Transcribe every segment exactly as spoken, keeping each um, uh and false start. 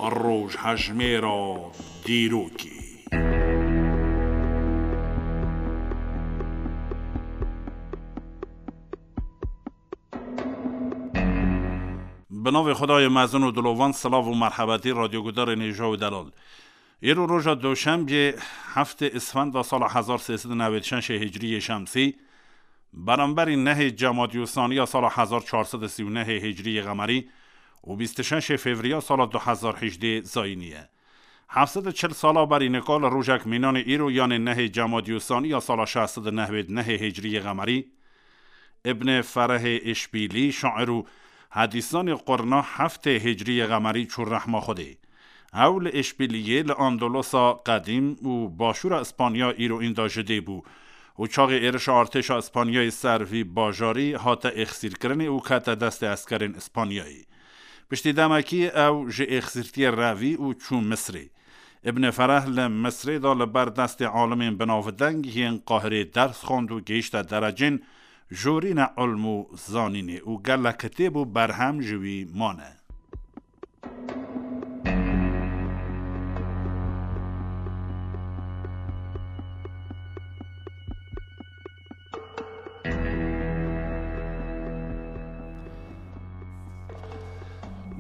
Rojhejmêra dîrokê. Bi navê Xwedayê mezin û dilovan, silav û merhebetî radyogudarên hêja û delal. Îro roja doşembiyê, heftê Îsfenda sala hezar sê sed û newêd şeşê hicriyê şemsî, beramberî nehê Cemadyûsaniya sala hezar çar sed û sî û nehê hicriyê qemerî û bîst û şeşê Fevriya sala du hezar hejdê zayînî ye. Heft sed û çil sala berî nika li rojek mînanê îro, yanê nehê Cemadyûsaniya sala şeş sed û newêd nehê hicriyê qemerî, Îbnê Ferehê Îşbîlî, şair û hedîsanê qurna heftê hicriyê qemerî çû rehma Xwedê. Ew li Îşbîliyê, li Andolosa qedîm û başûra Îspanya îro înda ji dê bû û çaxê êrişa artêşa Îspanyayê ser vî bajarî hate êxsîrkirinê û kete destê eskerên Îspanyayê. Piştî demekî ew ji êxsîrtiyê revî û çû Misrê. Îbnê Fereh li Misrê de li ber destê alimên binavdeng yên Qahirê ders xwend û gihîşte derecên jorîne ilm û zanînê û gelek kitêb û berhem ji wî mane.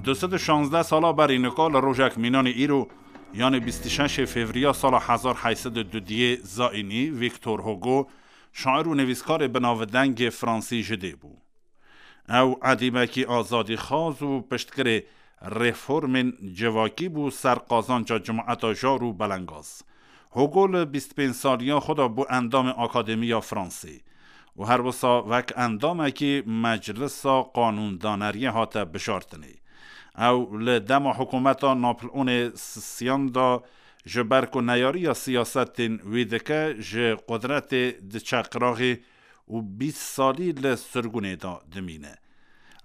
Du sed û şazdeh sala berî nika li rojek mînanê îro, yanê bîst û şeşê Fevriya sala hezar heyt sed û dudiyê zayînî, Victor Hugo, şair û nivîskarê binavdengê Fransî ji dê bû. Ew edîbekî azadîxwaz û piştgirê reformên civakî bû ser qazanca cemaeta jar û belengaz. Hugo li bîst pênc saliya xwe de bû endamê Akademiya Fransê û her wisa wek endamekî Meclisa Qanûndaneriyê hate bijartinê. Ew li dema hikûmeta Napoleonê Sisiyan de, ji ber ku neyariya siyasetên wî dike, ji qudretê diçe qiraxê û bîst salî li sirgûnê de dimîne.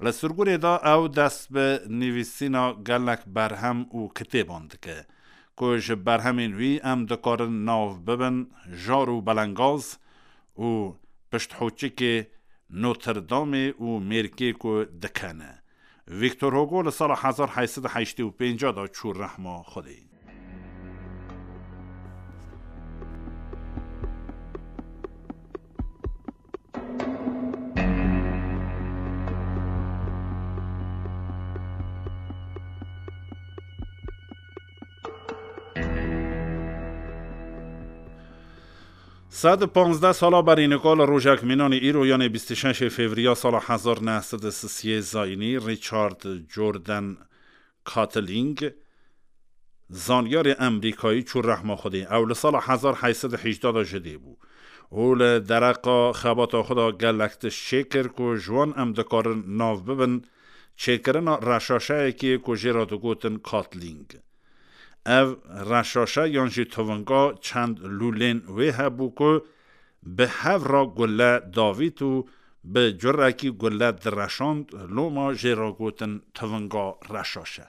Li sirgûnê de ew dest bi nivîsîna gelek berhem û kitêban dike, ku ji berhemên wî em dikarin nav bibin Jar û Belengaz û Pişthoçikê Notre Dameê û Mêrkê ku dikene. Victor Hugo li sala hezar heyt sed û heştê û pênc de çû rehma Xwedê. Sed û panzdeh sala berî nika li rojek mînanî îro, yanê bîst û şeşê Fevriya sala hezar neh sed û sisiyê zayînî, Richard Jordan Quatling, zanyarê Emrîkayî, çû rehma Xwedê. Ew li sala hezar heyt sed û hejdeh de ji dê bû û li dereqa xebata xwe de gelek tişt çêkir ku ji wan em dikarin nav bibin çêkirina reşaşeyekê ku jê re digotin Quatling. Ev reşaşe yan jî tivinga çend lûlên wê hebû ku bi hev re gule davît û bi curekî gule direşand, loma jê re gotin tivinga reşaşe.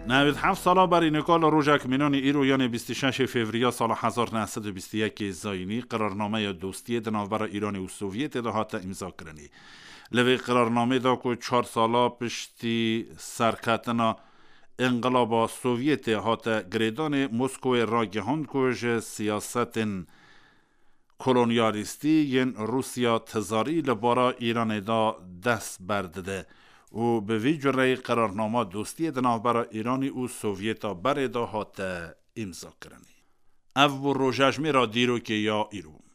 Newêd heft sala berî nika li rojek mînanî îro, yanê bîst û şeşê Fevriya sala hezar neh sed û bîst û yekê zayînî, qirarnameya dostiyê di navbera Îranê û Sovyetê de hate îmzakirinê. Li vê qirarnamê de ku çar sala piştî serketina Înqilaba Sovyetê hate girêdanê, Moskowê ragihand ku ji siyasetên kolonyalîstî yên Rûsya tizarî li bara Îranê de dest berdide û bi vî cureyî qirarnama dostiyê di navbera Îranî û Sovyeta berê de hate îmzakirinê. Ev bû rojejmêra dîrokê ya îro.